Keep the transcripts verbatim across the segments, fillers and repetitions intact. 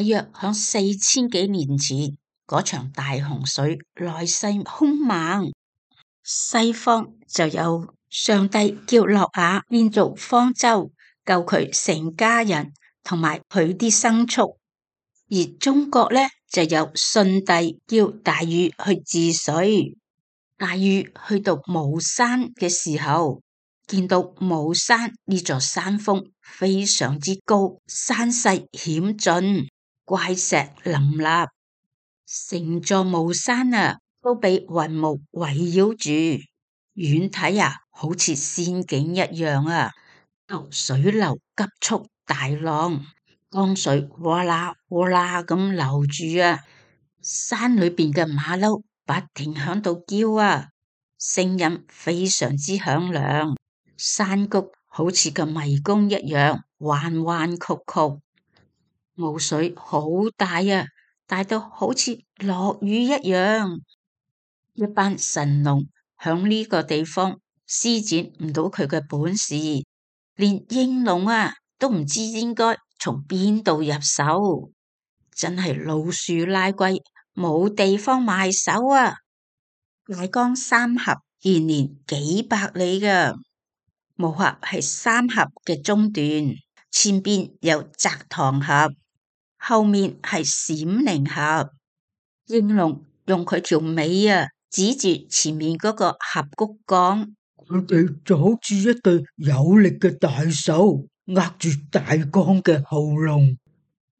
大約響四千幾年前，嗰場大洪水來勢兇猛，西方就有上帝叫諾亞建造方舟，救佢成家人同埋佢啲牲畜。而中國呢，就有舜帝叫大禹去治水。大禹去到巫山嘅時候，見到巫山呢座山峰非常之高，山勢險峻，怪石林立，成座巫山啊都被雲霧圍繞住，遠睇啊好似仙境一樣啊。水流急速大浪，江水嘩啦嘩啦咁流住啊，山裏邊嘅馬騮不停響度叫啊，聲音非常之響亮，山谷好似個迷宮一樣彎彎曲曲，霧水好大啊，大到好似落雨一樣。一班神農響呢個地方施展唔到佢嘅本事，連應龍啊都唔知應該從邊度入手，真係老樹拉龜，冇地方埋手啊！大江三峽延年幾百里噶，巫峽係三峽嘅中段，前邊有澤塘峽，後面係閃靈峽。應龍用佢條尾啊指住前面嗰個峽谷講：佢哋就好似一對有力嘅大手，握住大江嘅喉嚨。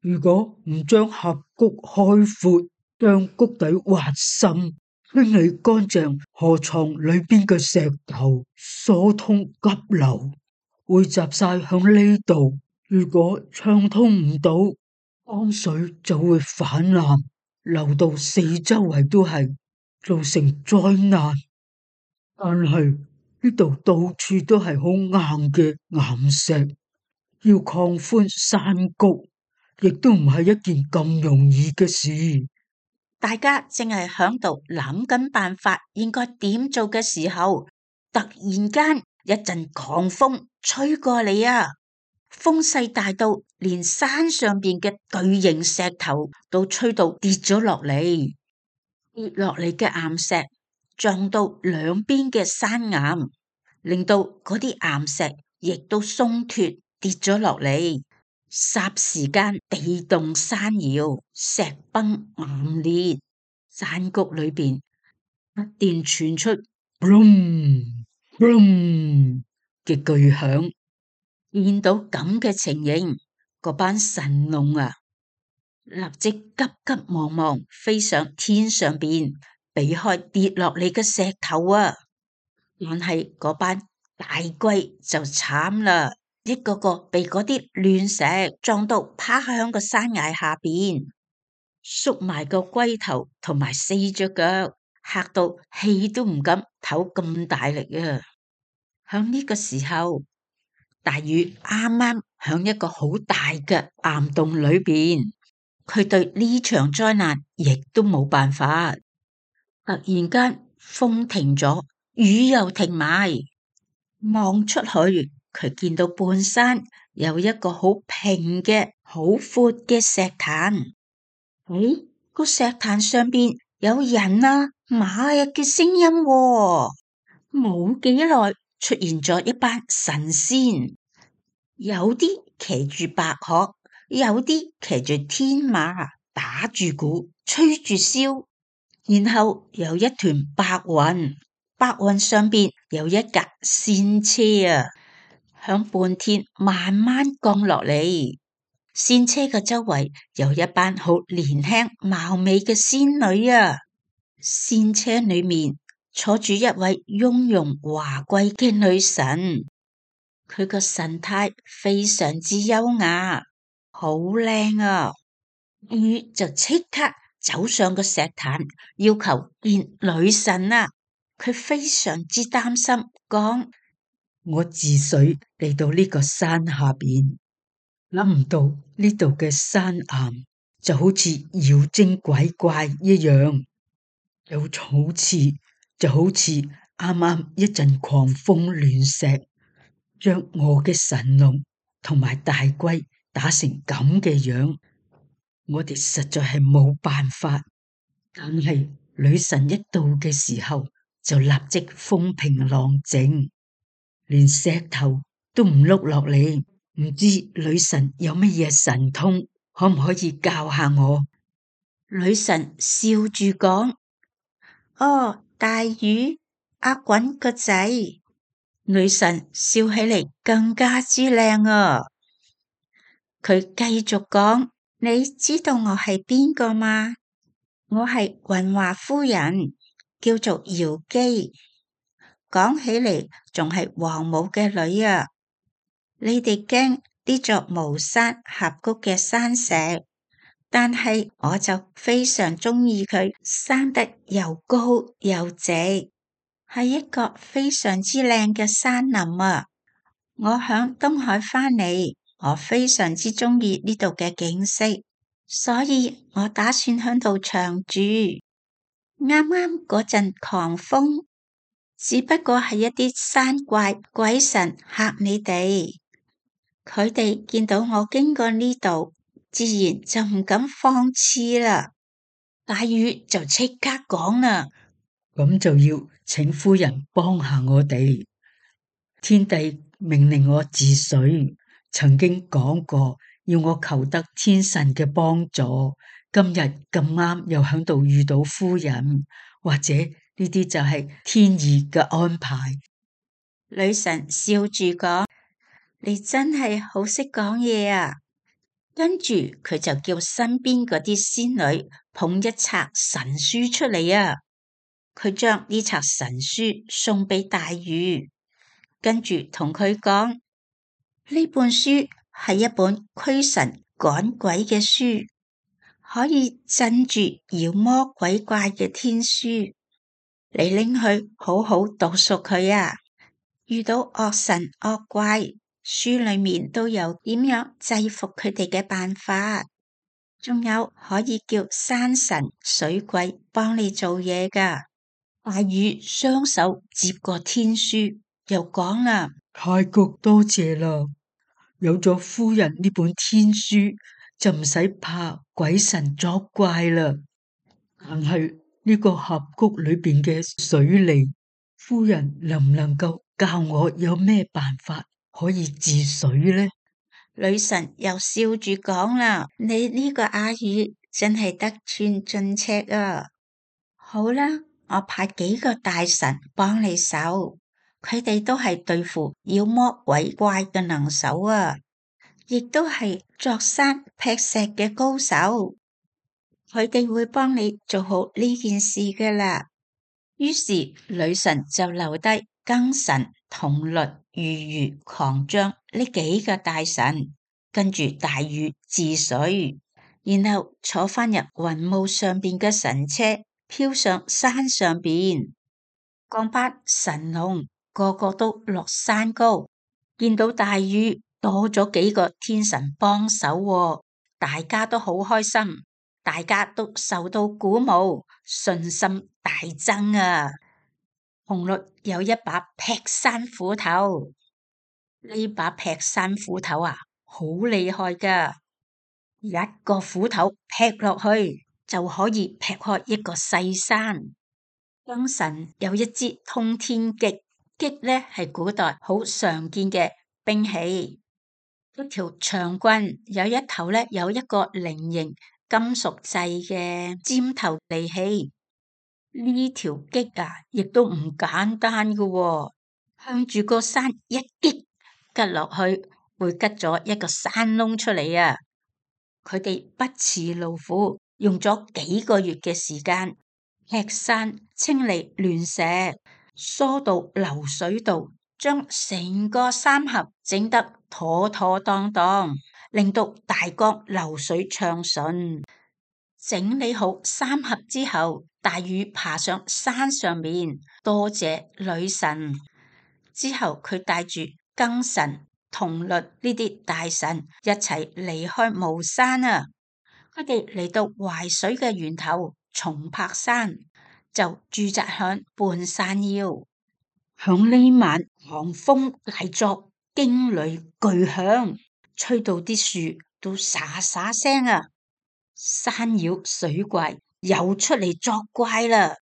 如果唔將峽谷開闊，將谷底挖深，清理乾淨河床裏邊嘅石頭，疏通急流，匯集晒響呢度。如果暢通唔到，江水就會泛濫，流到四周圍都係，造成災難。但係呢度到處都係好硬嘅岩石，要擴寬山谷，亦都唔係一件咁容易嘅事。大家正係響度諗緊辦法，應該點做嘅時候，突然間一陣狂風吹過嚟啊！風勢大到連山上邊嘅巨型石頭都吹到跌咗落嚟，跌落嚟嘅岩石撞到兩邊嘅山岩，令到嗰啲岩石亦都鬆脫跌咗落嚟。霎時間地動山搖，石崩岩裂，山谷裏邊不斷傳出嘣嘣嘅巨響。見到咁嘅情形，嗰班神農啊，立即急急忙忙飛上天上邊，避開跌落嚟嘅石頭啊！但係嗰班大龜就慘啦，一個個被嗰啲亂石撞到趴響個山崖下邊，縮埋個龜頭同埋四隻腳，嚇到氣都唔敢唞咁大力啊！響呢個時候，大禹啱啱響一個好大嘅岩洞裏邊，佢對呢場災難亦都冇辦法。突然間風停咗，雨又停埋，望出去，佢見到半山有一個好平嘅、好闊嘅石壇。誒，個石壇上邊有人啊、馬啊嘅聲音喎。冇幾耐，出現咗一班神仙。有啲騎住白鶴，有啲騎住天馬，打住鼓，吹住簫，然後有一團白雲，白雲上邊有一架仙車啊，響半天慢慢降落嚟。仙車嘅周圍有一班好年輕貌美嘅仙女啊，仙車裏面坐住一位雍容華貴嘅女神。佢個神態非常之優雅，好靚啊！禹就即刻走上個石壇，要求見女神啊！佢非常之擔心，講：我治水嚟到呢個山下邊，諗唔到呢度嘅山岩就好似妖精鬼怪一樣，有草刺，就好似啱啱一陣狂風亂石，將我嘅神龍同埋大龜打成咁嘅樣，我哋實在係冇辦法。但係女神一到嘅時候，就立即風平浪靜，連石頭都唔碌落嚟。唔知女神有乜嘢神通，可唔可以教下我？女神笑住講：哦，大魚，阿滾個仔。女神笑起嚟更加之靚啊！佢繼續講：你知道我係邊個嗎？我係雲華夫人，叫做瑤姬，講起嚟仲係王母嘅女啊！你哋驚呢座巫山峽谷嘅山石，但係我就非常鍾意佢生得又高又直，係一個非常之靚嘅山林啊！我響東海返嚟，我非常之鍾意呢度嘅景色。所以我打算響度長住。啱啱嗰陣狂風，只不過係一啲山怪鬼神嚇你哋。佢哋見到我經過呢度，自然就唔敢放肆啦。大魚就即刻講啦：咁就要請夫人幫下我哋。天帝命令我治水，曾經講過。要我求得天神嘅幫助，今日咁啱又響度遇到夫人，或者呢啲就係天意嘅安排。女神笑住講：你真係好識講嘢啊！跟住佢就叫身邊嗰啲仙女捧一冊神書出嚟啊！佢將呢冊神書送俾大魚，跟住同佢講：呢本書係一本驅神趕鬼嘅書，可以鎮住妖魔鬼怪嘅天書。你拎去好好讀熟佢啊！遇到惡神惡怪，書裏面都有點樣制服佢哋嘅辦法，仲有可以叫山神水鬼幫你做嘢噶。大魚雙手接過天書，又講啦：太過多謝啦！有咗夫人呢本天書，就唔使怕鬼神作怪啦。但係呢個峽谷裏邊嘅水利，夫人能唔能夠教我有咩辦法可以治水呢？女神又笑住講啦：你呢個阿魚真係得寸進尺啊！好啦，我派幾個大神幫你手，佢哋都係對付妖魔鬼怪嘅能手啊！亦都係鑿山劈石嘅高手，佢哋會幫你做好呢件事噶啦。於是女神就留低庚神、銅律、魚魚、狂將呢幾個大神，跟住大禹治水，然後坐翻入雲霧上邊嘅神車，飄上山上邊。降班神龍個個都落山高，見到大禹多咗幾個天神幫手喎，大家都好開心，大家都受到鼓舞，信心大增啊！紅律有一把劈山斧頭，呢把劈山斧頭啊，好厲害噶，一個斧頭劈落去就可以劈開一個細山。庚神有一支通天戟，戟呢係古代好常見嘅兵器。一條長棍有一頭咧，有一個菱形金屬製嘅尖頭利器。呢條戟啊，亦都唔簡單噶喎，向住個山一擊，吉落去會吉咗一個山窿出嚟啊！佢哋不辭勞苦，用咗幾個月嘅時間劈山、清理亂石、疏導流水道，將成個山峽整得妥妥當當，令到大江流水暢順。整理好山峽之後，大禹爬上山上面，多謝女神。之後佢帶住庚神、銅律呢啲大神一齊離開巫山啊！佢哋嚟到淮水嘅源頭松柏山，就駐紮響半山腰。響呢晚狂風大作，驚雷巨響，吹到啲樹都沙沙聲啊！山妖水怪又出嚟作怪啦！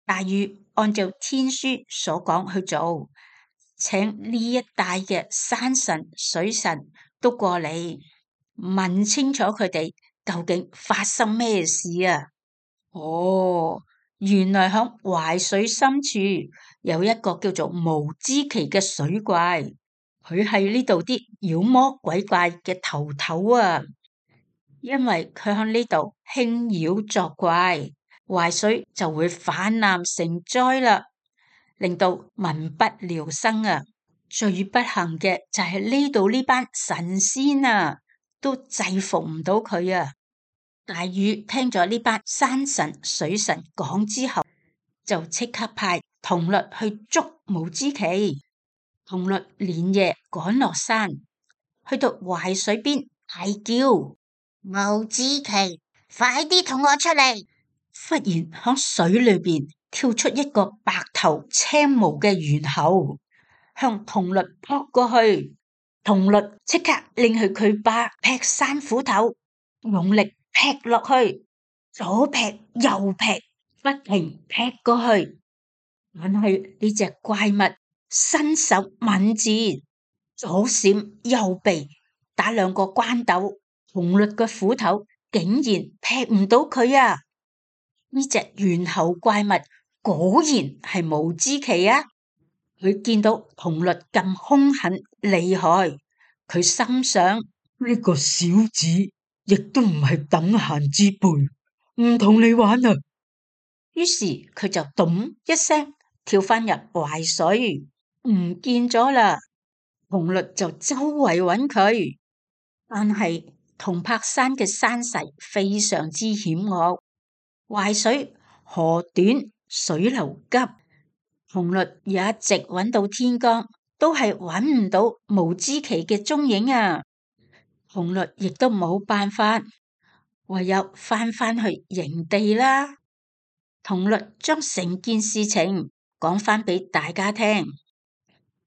大禹按照天書所講去做，請呢一帶嘅山神、水神都過嚟問清楚佢哋究竟發生咩事啊！哦，原來響淮水深處有一個叫做無支祁嘅水怪，佢係呢度啲妖魔鬼怪嘅頭頭啊！因為佢響呢度輕妖作怪，淮水就會氾濫成災啦，令到民不聊生啊！最不幸嘅就係呢度呢班神仙啊，都制服唔到佢啊！大禹聽咗呢班山神水神講之後，就即刻派銅律去捉無支祁。銅律連夜趕落山，去到淮水邊大叫。無支祁，快啲同我出嚟！忽然響水裏邊跳出一個白頭青毛嘅猿猴，向銅律撲過去。銅律即刻拎去佢把劈山斧頭，用力劈落去，左劈右劈，不停劈過去。但係呢隻怪物身手敏捷，左閃右避，打兩個關斗。銅律嘅斧頭竟然劈唔到佢啊！呢隻猿猴怪物果然係無支祁啊！佢見到銅律咁兇狠厲害，佢心想呢個小子亦都唔係等閒之輩，唔同你玩啊！於是佢就咚一聲跳返入淮水，唔見咗啦。銅律就周圍揾佢，但係銅柏山嘅山勢非常之險惡，淮水河短水流急，銅律一直揾到天光，都係揾唔到無支祁嘅蹤影啊！銅律亦都冇辦法，唯有翻返去營地啦。銅律將成件事情講返俾大家聽，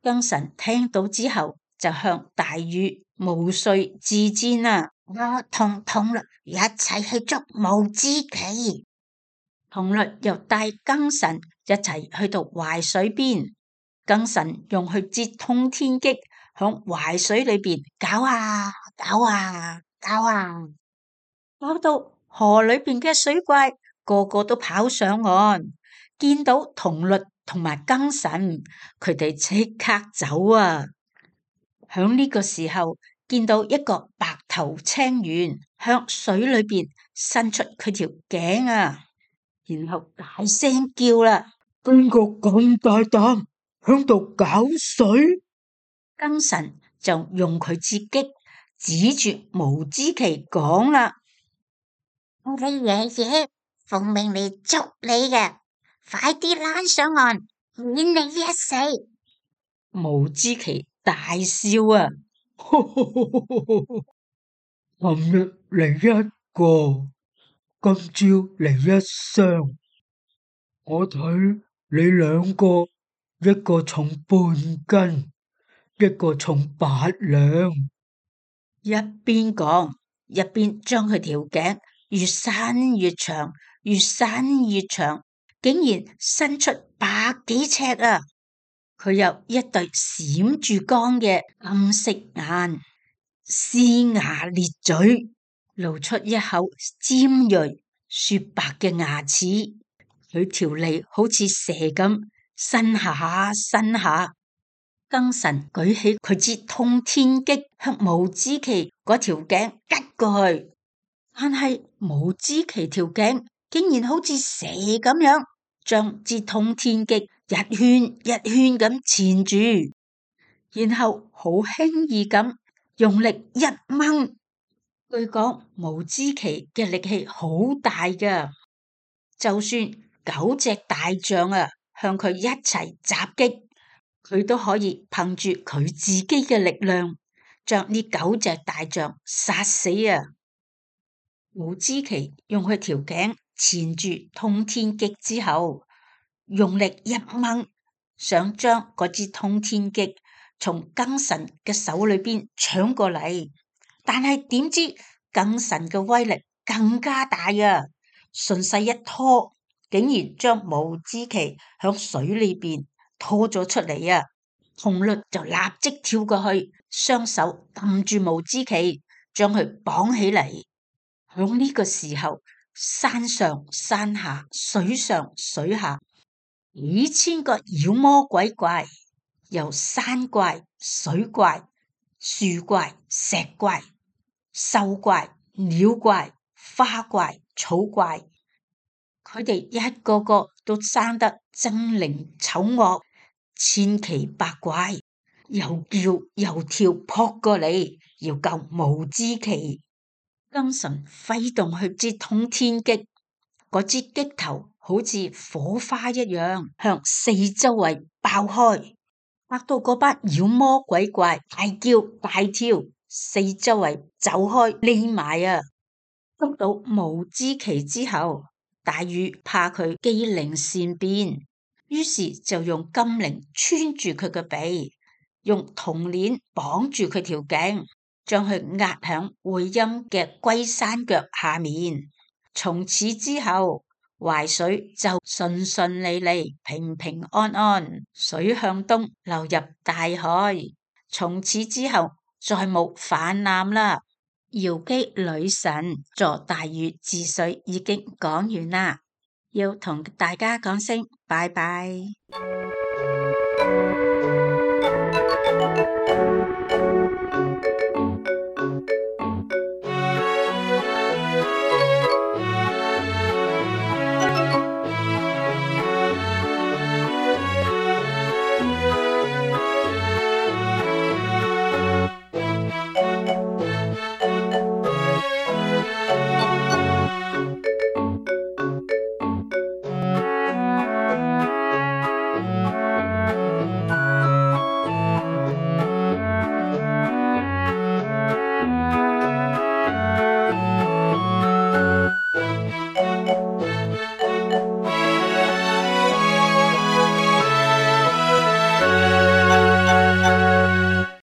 庚神聽到之後就向大禹毛遂自薦啦。我同銅律一齊去捉無支祁。銅律又帶庚神一齊去到淮水邊，庚神用去接通天戟，響淮水裏邊搞啊搞啊搞啊，搞到河裏邊嘅水怪個個都跑上岸，見到銅律同埋庚神，佢哋即刻走啊！響呢個時候，見到一個白頭青猿向水裏邊伸出佢條頸啊，然後大聲叫啦：邊個咁大膽響度搞水？庚神就用佢支戟指住無支祁講啦：我哋爺爺奉命嚟捉你嘅，快啲躝上岸，免你一死！無支祁大笑啊！琴日嚟一個，今朝嚟一雙，我睇你兩個，一個重半斤，一個重八兩。一邊講，一邊將佢條頸越伸越長，越伸越長，竟然伸出百幾尺啊！佢有一對閃住光嘅金色眼，呲牙咧嘴，露出一口尖銳雪白嘅牙齒。佢條脷好似蛇咁伸下伸下。庚神舉起佢支通天戟，向無支祁嗰條頸吉過去，但係無支祁條頸竟然好似蛇咁樣，將支通天戟一圈一圈咁纏住，然後好輕易咁用力一掹。據講無支祁嘅力氣好大噶，就算九隻大象啊向佢一齊襲擊，佢都可以憑住佢自己嘅力量將呢九隻大象殺死啊！無支祁用佢條頸纏住通天戟之後，用力一掹，想將嗰支通天戟從庚神嘅手裏邊搶過嚟，但係點知庚神嘅威力更加大啊！順勢一拖，竟然將無枝旗響水裏邊拖咗出嚟啊！紅律就立即跳過去，雙手撳住無枝旗，將佢綁起嚟。響呢個時候，山上山下，水上水下，幾千個妖魔鬼怪，由山怪、水怪、樹怪、石怪、獸怪、鳥怪、花怪、草怪，佢哋一個個都生得猙獰醜惡，千奇百怪，又叫又跳撲過嚟，要救無枝旗。燈神揮動去支通天戟，嗰支戟頭好似火花一樣向四周圍爆開，嚇到嗰班妖魔鬼怪大叫大跳，四周圍走開匿埋啊！捉到無枝旗之後，大禹怕佢機靈善變，於是就用金鈴穿住佢嘅鼻，用銅鏈綁住佢條頸，將佢壓響會陰嘅龜山腳下面。從此之後，淮水就順順利利、平平安安，水向東流入大海。從此之後，再冇泛濫啦。堯姬女神助大禹治水已經講完啦，要同大家講聲拜拜。